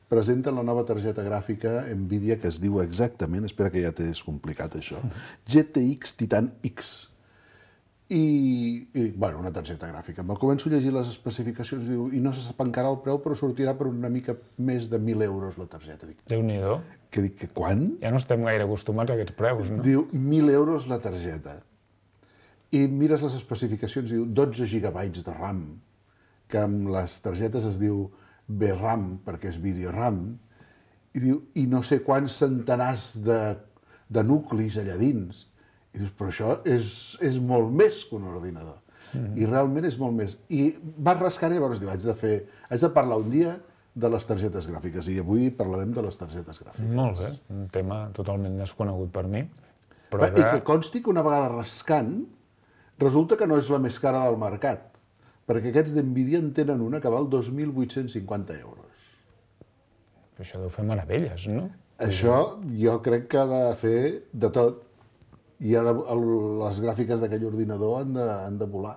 presenten la nova targeta gràfica NVIDIA que es diu exactament, espera que ja t'he descomplicat això, GTX Titan X. bueno, una targeta gràfica. Me'l començo a llegir les especificacions, diu, i no se sap encara el preu, però sortirà per una mica més de 1.000 euros la targeta.
Déu-n'hi-do.
Que dic, que quan?
Ja no estem gaire acostumats a aquests preus, no?
Diu, 1.000 euros la targeta. I mires les especificacions, diu, 12 gigabytes de RAM, que amb les targetes es diu VRAM, perquè és VideoRAM, i diu, i no sé quants centenars de nuclis allà dins. I dius, però això és molt més que un ordinador. I realment és molt més. I vas rascant i llavors diu, haig de parlar un dia de les targetes gràfiques, i avui parlarem de les targetes gràfiques.
Molt bé, un tema totalment desconegut per mi.
I que consti que una vegada rascant, resulta que no és la més cara del mercat, perquè aquests d'NVIDIA en tenen una que val 2.850 euros.
Però això deu fer meravelles, no?
Això jo crec que ha de fer de tot. I les gràfiques d'aquell ordinador han de volar.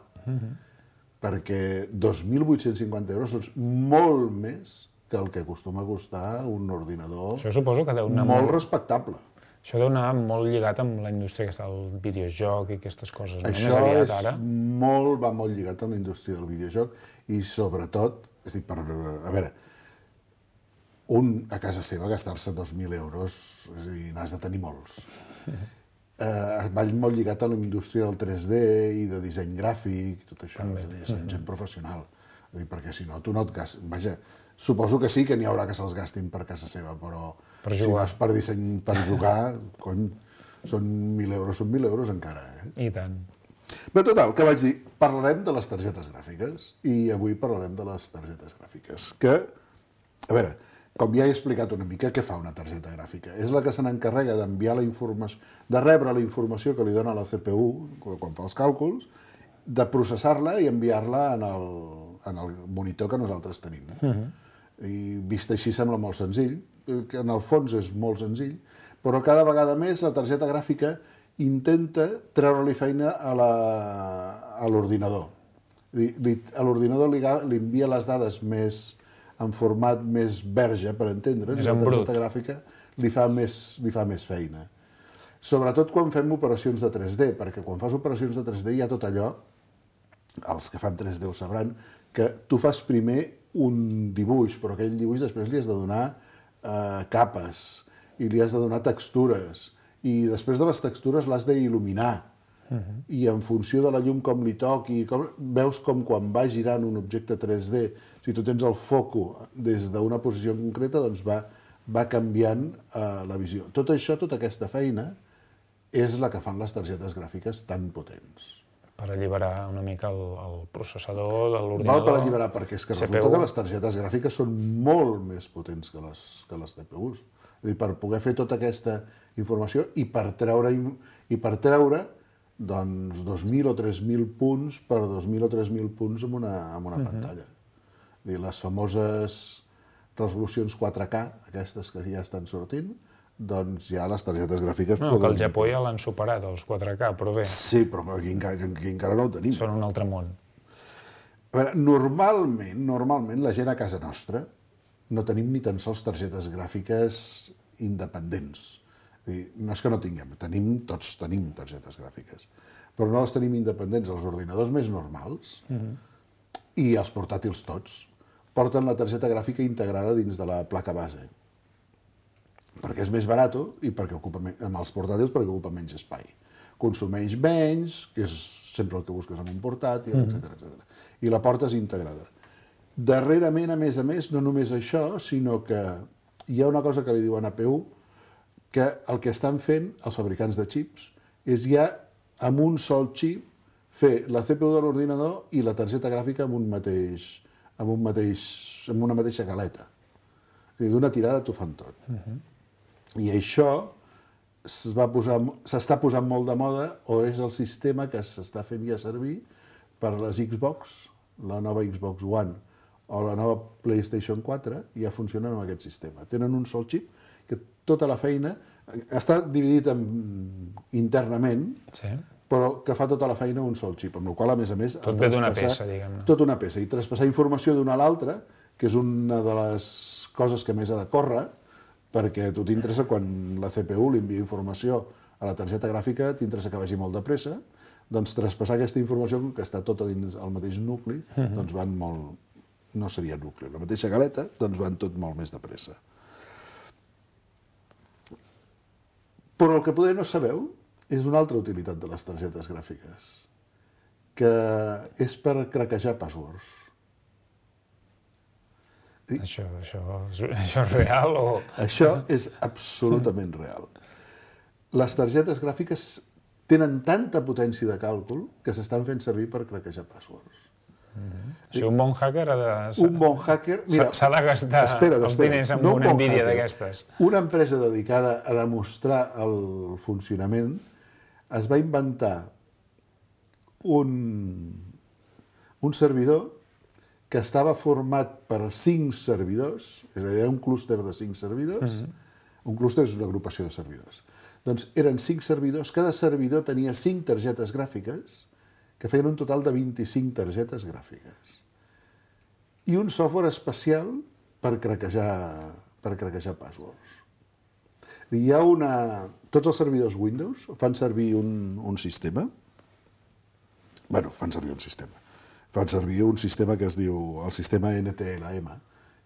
Perquè 2.850 euros són molt més que el que acostuma a costar un ordinador molt respectable.
Això deu anar molt lligat amb la indústria que està del videojoc i aquestes coses.
Això va molt lligat amb la indústria del videojoc i sobretot, és a dir, a veure, a casa seva gastar-se 2.000 euros, és a dir, n'has de tenir molts. Va molt lligat a la indústria del 3D i de disseny gràfic, tot això, és a dir, són gent professional. Perquè si no, tu no et gastes... Vaja, suposo que sí que n'hi haurà que se'ls gastin per casa seva, però si no és per disseny, per jugar, cony, són 1.000 euros, són 1.000 euros encara.
I tant.
Bé, total, que vaig dir, parlarem de les targetes gràfiques, i avui parlarem de les targetes gràfiques, que, a veure, com ja he explicat una mica, què fa una targeta gràfica? És la que se n'encarrega d'enviar la informació, de rebre la informació que li dona la CPU, quan fa els càlculs, de processar-la i enviar-la en el monitor que nosaltres tenim. I vist així sembla molt senzill, que en el fons és molt senzill, però cada vegada més la targeta gràfica intenta treure-li feina a l'ordinador. A l'ordinador li envia les dades més en format més verge, per entendre'ns, la targeta gràfica li fa més feina. Sobretot quan fem operacions de 3D, perquè quan fas operacions de 3D hi ha tot allò, els que fan 3D ho sabran, que tu fas primer un dibuix, però aquell dibuix després li has de donar capes, i li has de donar textures, i després de les textures l'has d'il·luminar, i en funció de la llum com li toqui, veus com quan va girant un objecte 3D, si tu tens el foco des d'una posició concreta, doncs va canviant la visió. Tot això, tota aquesta feina, és la que fan les targetes gràfiques tan potents.
Per alliberar una mica el processador de l'ordinador.
Val per alliberar, perquè és que resulta que les targetes gràfiques són molt més potents que les CPUs. És a dir, per poder fer tota aquesta informació i per treure doncs 2.000 o 3.000 punts per 2.000 o 3.000 punts en una pantalla. És a dir, les famoses resolucions 4K, aquestes que ja estan sortint, doncs ja les targetes gràfiques...
No, que al Japó ja l'han superat, els 4K, però bé.
Sí, però aquí encara no ho tenim.
Són un altre món.
A veure, normalment, la gent a casa nostra no tenim ni tan sols targetes gràfiques independents. No és que no tinguem, tots tenim targetes gràfiques, però no les tenim independents. Els ordinadors més normals i els portàtils tots porten la targeta gràfica integrada dins de la placa base, perquè és més barat i perquè amb els portàtils perquè ocupa menys espai. Consumeix menys, que és sempre el que busques en un portàtil, etc. I la portes integrada. Darrerament, a més, no només això, sinó que hi ha una cosa que li diuen APU, que el que estan fent els fabricants de xips és ja amb un sol xip fer la CPU de l'ordinador i la targeta gràfica amb una mateixa galeta. És a dir, d'una tirada t'ho fan tot. I això s'està posant molt de moda o és el sistema que s'està fent ja servir per les Xbox, la nova Xbox One o la nova PlayStation 4 ja funcionen amb aquest sistema. Tenen un sol xip que tota la feina està dividit internament, però que fa tota la feina un sol xip, amb la qual, a més,
tot ve d'una peça, diguem-ne.
Tot una peça, i traspassar informació d'una a l'altra, que és una de les coses que més ha de córrer, perquè a tu t'interessa, quan la CPU li envia informació a la targeta gràfica, t'interessa que vagi molt de pressa, doncs traspassar aquesta informació, que està tota dins el mateix nucli, doncs van molt... No seria nucli, la mateixa galeta, doncs van tot molt més de pressa. Però el que poder no sabeu és una altra utilitat de les targetes gràfiques, que és per craquejar passwords.
Això és real o...?
Això és absolutament real. Les targetes gràfiques tenen tanta potència de càlcul que s'estan fent servir per craquejar passwords.
Si un bon hacker ha de...
Un bon hacker...
S'ha de gastar els diners amb una Nvidia d'aquestes.
Una empresa dedicada a demostrar el funcionament es va inventar un servidor que estava format per 5 servidors, és a dir, era un clúster de 5 servidors. Un clúster és una agrupació de servidors. Doncs eren 5 servidors, cada servidor tenia 5 targetes gràfiques, que feien un total de 25 targetes gràfiques. I un software especial per craquejar passwords. Hi ha tots els servidors Windows fan servir un sistema. Fan servir un sistema que es diu el sistema NTLM,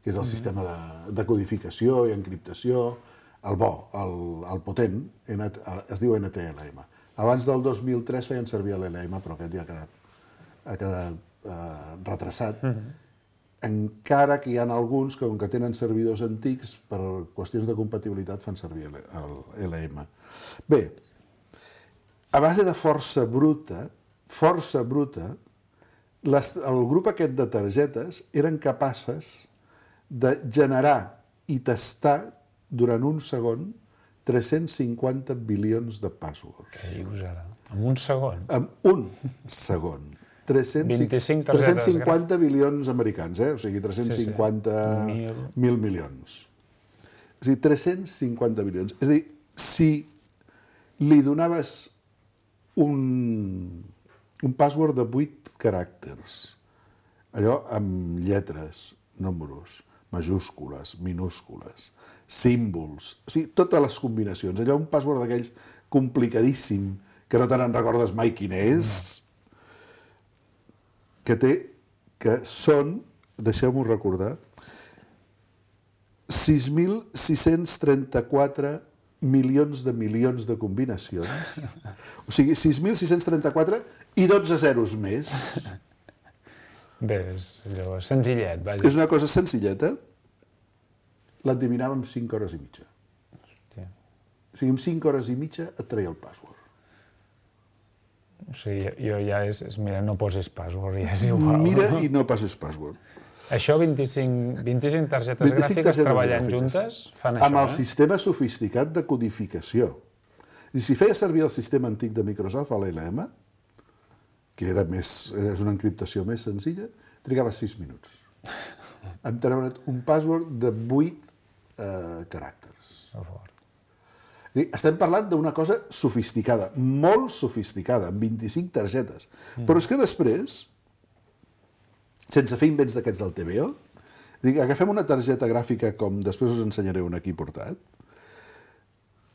que és el sistema de codificació i encriptació, el bo, el potent, es diu NTLM. Abans del 2003 feien servir l'LM, però aquest ja ha quedat retrasat. Encara que hi ha alguns que, com que tenen servidors antics, per qüestions de compatibilitat fan servir l'LM. Bé, a base de força bruta, el grup aquest de targetes eren capaces de generar i tastar durant un segon 350 bilions de passwords.
Què dius ara? En un segon?
En un segon. 350 bilions americans, o sigui, 350.000 milions. És a dir, 350 bilions. És a dir, si li donaves un password de 8 caràcters, allò amb lletres, números, majúscules, minúscules, símbols, o sigui, totes les combinacions. Allò un password d'aquells complicadíssim, que no te n'en recordes mai quin és, que són, deixeu-m'ho recordar, 6.634 milions de combinacions. O sigui, 6.634 i 12 zeros més.
Bé, és allò senzillet, vaja.
És una cosa senzilleta. L'endevinava en 5 hores i mitja.
Hòstia.
O sigui, en 5 hores i mitja et treia el password.
O sigui, jo ja mira, no posis password, ja és igual.
Mira i no passis password.
Això, 25 targetes gràfiques treballant juntes, fan això,
amb el sistema sofisticat de codificació. I si feia servir el sistema antic de Microsoft, l'LM, que és una encriptació més senzilla, trigava 6 minuts. Em treure't un password de 8 caràcters. Estem parlant d'una cosa sofisticada, molt sofisticada, amb 25 targetes. Però és que després, sense fer invents d'aquests del TVO, agafem una targeta gràfica, com després us ensenyaré una aquí portat,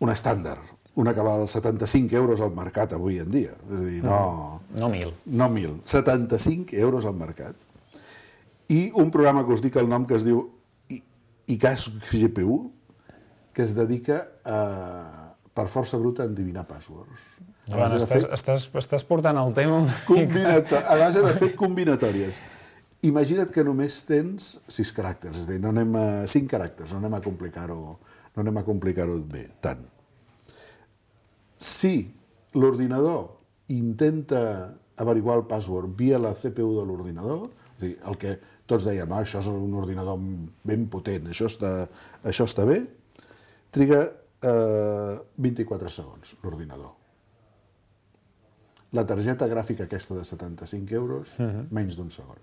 una estàndard, una que val 75 euros al mercat avui en dia. És a dir,
no 1.000.
No 1.000, 75 euros al mercat. I un programa que us dic el nom, que es diu ICAS GPU, que es dedica per força bruta a endevinar passwords.
Joan, estàs portant el tema
a base de fer combinatòries. Imagina't que només tens 6 caràcters, és a dir, 5 caràcters, no anem a complicar-ho bé, tant. Si l'ordinador intenta averiguar el password via la CPU de l'ordinador, és a dir, el que tots dèiem, això és un ordinador ben potent, això està bé, triga 24 segons l'ordinador. La targeta gràfica aquesta de 75 euros, menys d'un segon.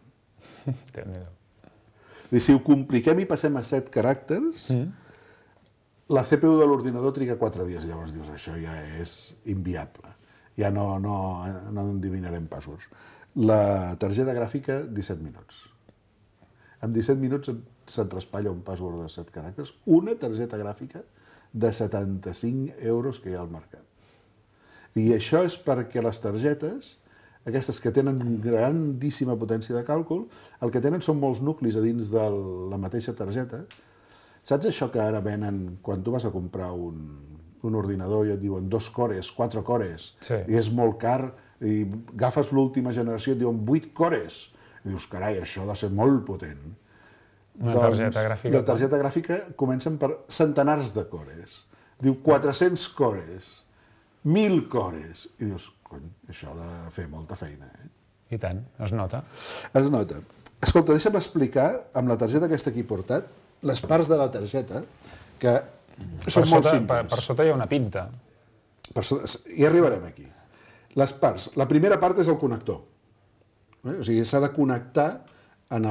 Si ho compliquem i passem a 7 caràcters, la CPU de l'ordinador triga 4 dies. Llavors dius, això ja és inviable. Ja no endevinarem passwords. La targeta gràfica, 17 minuts. En 17 minuts se't raspalla un password de 7 caràcters. Una targeta gràfica de 75 euros que hi ha al mercat. I això és perquè les targetes, aquestes que tenen grandíssima potència de càlcul, el que tenen són molts nuclis a dins de la mateixa targeta. Saps això que ara venen quan tu vas a comprar un ordinador i et diuen 2 cores, 4 cores, i és molt car, i agafes l'última generació i et diuen 8 cores, i dius, carai, això ha de ser molt potent.
Una targeta gràfica.
La targeta gràfica comencen per centenars de cores. Diu 400 cores, 1.000 cores, i dius, cony, això ha de fer molta feina.
I tant, es nota.
Es nota. Escolta, deixa'm explicar, amb la targeta aquesta que he portat, les parts de la targeta, que són molt simples.
Per sota hi ha una pinta.
I arribarem aquí. Les parts. La primera part és el connector. O sigui, s'ha de connectar en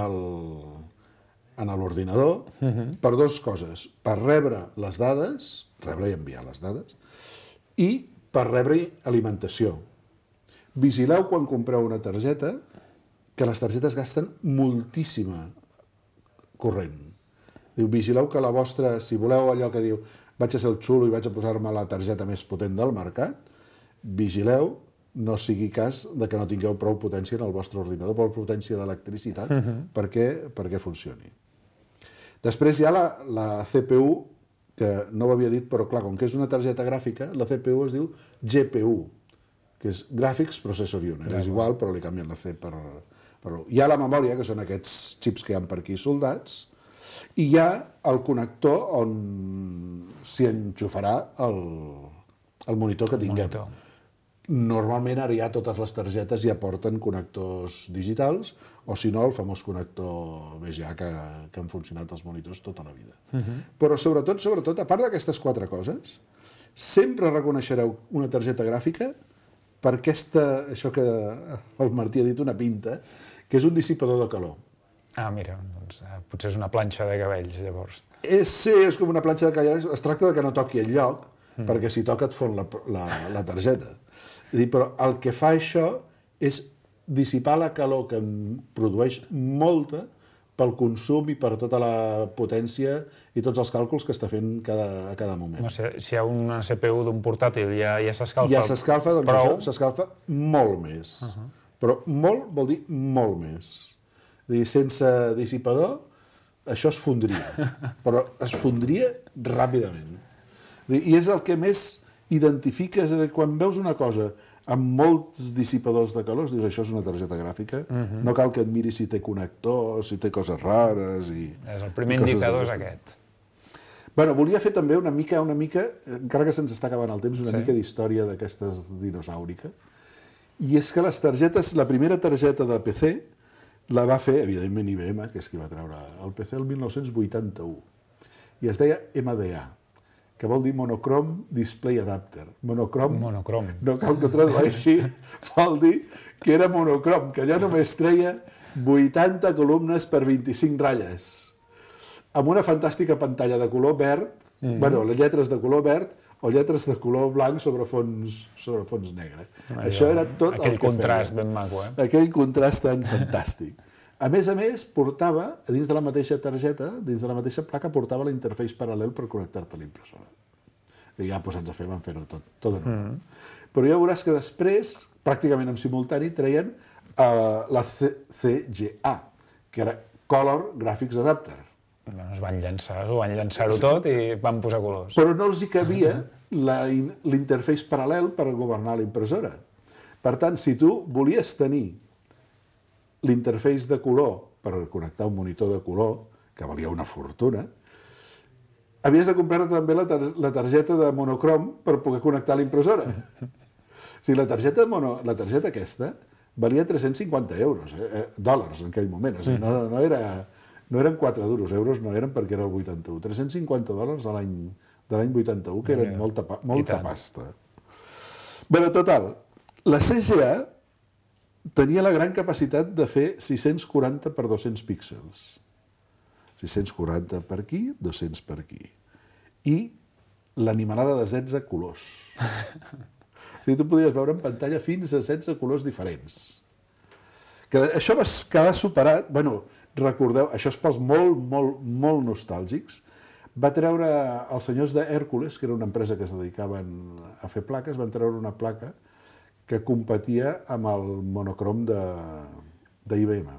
l'ordinador per dues coses. Per rebre les dades, rebre i enviar les dades, i per rebre alimentació. Vigileu quan compreu una targeta que les targetes gasten moltíssima corrent. Diu, vigileu que la vostra, si voleu allò que diu vaig a ser el xulo i vaig a posar-me la targeta més potent del mercat, vigileu, no sigui cas de que no tingueu prou potència en el vostre ordinador, prou potència d'electricitat perquè funcioni. Després hi ha la CPU, que no ho havia dit, però clar, com que és una targeta gràfica, la CPU es diu GPU, que és Graphics Processor Unit. És igual, però li canvien la C per l'1. Hi ha la memòria, que són aquests xips que hi ha per aquí soldats, i hi ha el connector on s'hi enxufarà el monitor que tinguem. Normalment ara ja totes les targetes ja porten connectors digitals, o si no el famós connector VGA que han funcionat als monitors tota la vida. Però sobretot, a part d'aquestes 4 coses, sempre reconeixereu una targeta gràfica per això que el Martí ha dit, una pinta, que és un dissipador de calor.
Ah, mira, doncs potser és una planxa de cabells, llavors.
Sí, és com una planxa de cabells. Es tracta que no toqui el lloc, perquè si toca et fon la targeta. Però el que fa això és dissipar la calor que en produeix molta pel consum i per tota la potència i tots els càlculs que està fent a cada moment.
Si hi ha una CPU d'un portàtil ja s'escalfa.
Ja s'escalfa, doncs això s'escalfa molt més. Però molt vol dir molt més. Sense dissipador, això es fondria. Però es fondria ràpidament. I és el que més identifiques quan veus una cosa amb molts dissipadors de calor, dius, això és una targeta gràfica, no cal que et miris si té connectors, si té coses rares...
És el primer indicador és aquest.
Bueno, volia fer també una mica, encara que se'ns està acabant el temps, una mica d'història d'aquestes dinosaurica. I és que les targetes, la primera targeta de PC la va fer, evidentment, IBM, que és qui va treure el PC el 1981. I es deia MDA, que vol dir Monochrome Display Adapter. Monochrome. No cal que ho tradueixi, vol dir que era monocrom, que allà només treia 80 columnes per 25 ratlles, amb una fantàstica pantalla de color verd, les lletres de color verd o lletres de color blanc sobre fons negre. Això era tot el que feia.
Aquell contrast ben maco, eh?
Aquell contrast tan fantàstic. A més, portava, dins de la mateixa targeta, dins de la mateixa placa, portava l'interface paral·lel per connectar-te a l'impressora. I ja posats a fer, van fer-ho tot de nou. Però ja veuràs que després, pràcticament en simultani, treien la CGA, que era Color Graphics Adapter.
Es van llançar-ho tot i van posar colors.
Però no els hi cabia l'interface paral·lel per governar l'impressora. Per tant, si tu volies tenir l'interface de color per connectar un monitor de color, que valia una fortuna, havies de comprar també la targeta de monocrom per poder connectar l'impressora. O sigui, la targeta aquesta valia 350 euros, dòlars en aquell moment. O sigui, no eren 4 duros, euros no eren perquè era el 81. 350 dòlars de l'any 81, que eren molta pasta. Bé, total, la CGA tenia la gran capacitat de fer 640 per 200 píxels. 640 per aquí, 200 per aquí. I l'animalada de 16 colors. O sigui, tu podies veure en pantalla fins a 16 colors diferents. Això va quedar superat, recordeu, això és pels molt nostàlgics, va treure els senyors d'Hèrcules, que era una empresa que es dedicaven a fer plaques, van treure una placa que competia amb el monocrom d'IBM.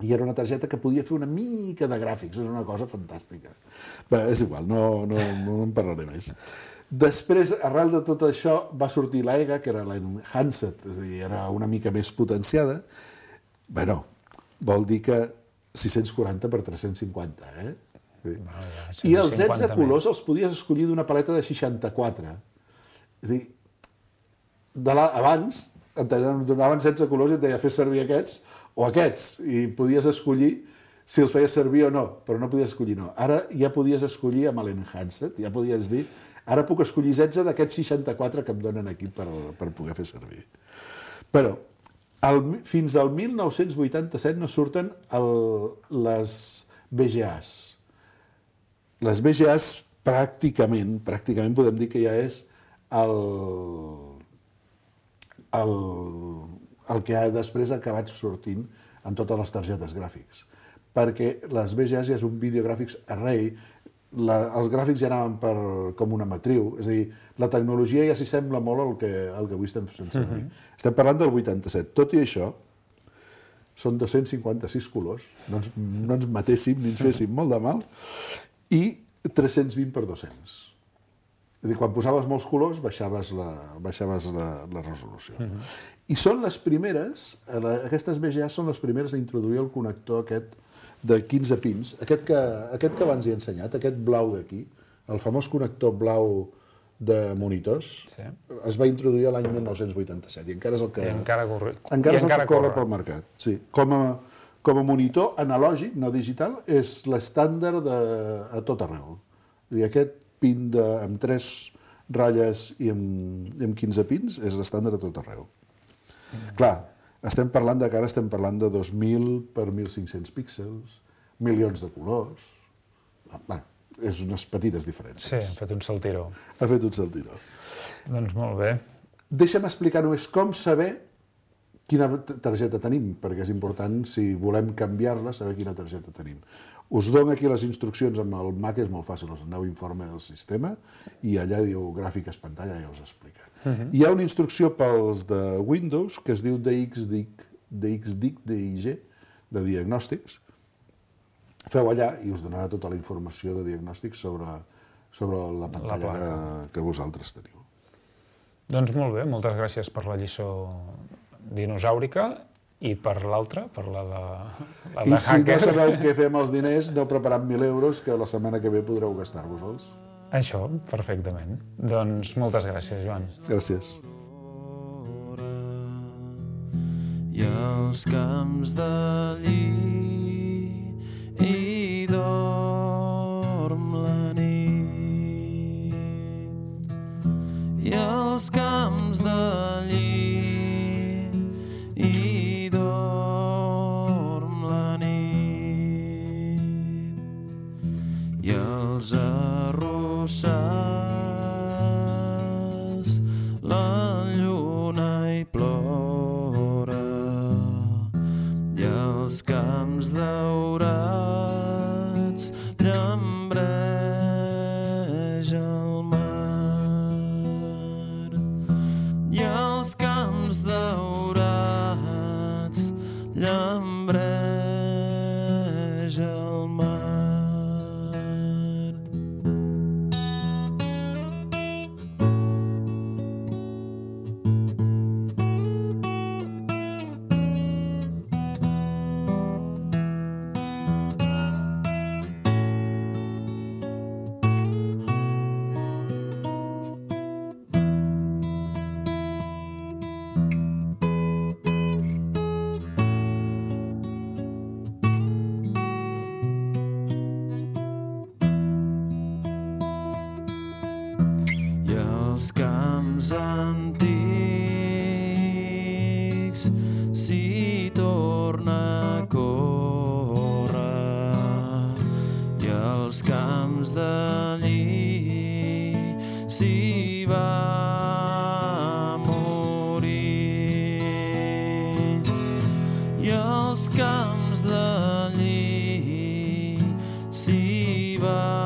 I era una targeta que podia fer una mica de gràfics, és una cosa fantàstica. Bé, és igual, no en parlaré més. Després, arrel de tot això, va sortir l'EGA, que era l'Enhanced, és a dir, era una mica més potenciada. Bé, vol dir que 640 per 350, I els 16 colors els podies escollir d'una paleta de 64. És a dir, abans et donaven 16 colors i et deia fes servir aquests o aquests, i podies escollir si els feies servir o no, però no podies escollir no. Ara ja podies escollir amb l'Enhanced, ja podies dir, ara puc escollir 16 d'aquests 64 que em donen aquí per poder fer servir. Però fins al 1987 no surten les VGAs. Les VGAs pràcticament podem dir que ja és el que després ha acabat sortint en totes les targetes gràfics. Perquè les VGAs ja és un Videographics Array, els gràfics ja anaven com una matriu, és a dir, la tecnologia ja s'hi sembla molt al que avui estem fent servir. Estem parlant del 87. Tot i això, són 256 colors, no ens matéssim ni ens féssim molt de mal, i 320 per 200. És a dir, quan posaves molts colors, baixaves la resolució. I són les primeres, aquestes VGAs són les primeres a introduir el connector aquest de 15 pins, aquest que abans he ensenyat, aquest blau d'aquí, el famós connector blau de monitors, es va introduir l'any 1987 i encara és el que corre pel mercat. Sí. Com a monitor analògic, no digital, és l'estàndard a tot arreu. I aquest pin amb 3 ratlles i amb 15 pins és l'estàndard a tot arreu. Clar, estem parlant de 2.000 per 1.500 píxels, milions de colors. És unes petites diferències.
Sí, han fet un saltiró.
Ha fet un saltiró.
Doncs molt bé.
Deixa'm explicar només com saber quina targeta tenim, perquè és important, si volem canviar-la, saber quina targeta tenim. Us dono aquí les instruccions amb el Mac, és molt fàcil, us aneu informe del sistema, i allà diu gràfiques pantalla, ja us explica. Hi ha una instrucció pels de Windows que es diu DXDIG, de diagnòstics. Feu allà i us donarà tota la informació de diagnòstics sobre la pantalla que vosaltres teniu.
Doncs molt bé, moltes gràcies per la lliçó dinosaurica i per l'altra, per la de hacker.
I si no sabeu què fer amb els diners, aneu preparant 1.000 euros que la setmana que ve podreu gastar-vos-els.
Això, perfectament. Doncs moltes gràcies, Joan.
Gràcies.
I els camps de lli i dorm la nit. I els camps de lli i dorm la nit. I els arrossars la lluna hi plora i els camps daurats llambreja el mar i els camps daurats llambreja el mar. Els camps antics s'hi torna a córrer i els camps de lli s'hi va morir i els camps de lli s'hi va